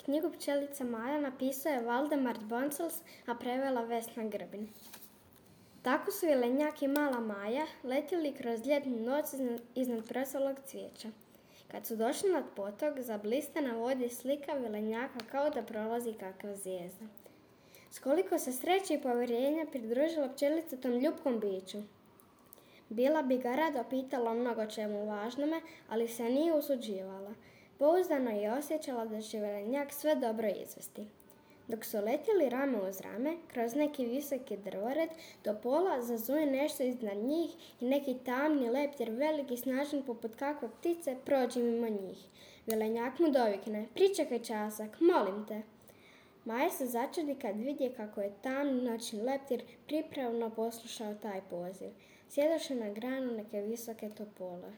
Knjigu Pčelica Maja napisao je Valdemar Boncels, a prevela Vesna Grbin. Tako su jelenjak i mala Maja letjeli kroz ljetnu noć iznad presolog cvijeća. Kad su došli nad potok, zablista na vodi slika jelenjaka kao da prolazi kakva zvijezda. S koliko se sreće i povjerenja pridružila pčelica tom ljubkom biću. Bila bi ga rado pitala o mnogo čemu važnome, ali se nije usuđivala. Pouzdano je osjećala da će jelenjak sve dobro izvesti. Dok su letjeli rame uz rame, kroz neki visoki drvored, do pola zazuje nešto iznad njih i neki tamni leptir, veliki, snažan poput kakve ptice, prođe mimo njih. Jelenjak mu dovikne: pričekaj časak, molim te. Maja se začudi kad vidje kako je tamni noćni leptir pripravno poslušao taj poziv. Sjedoše na granu neke visoke topole.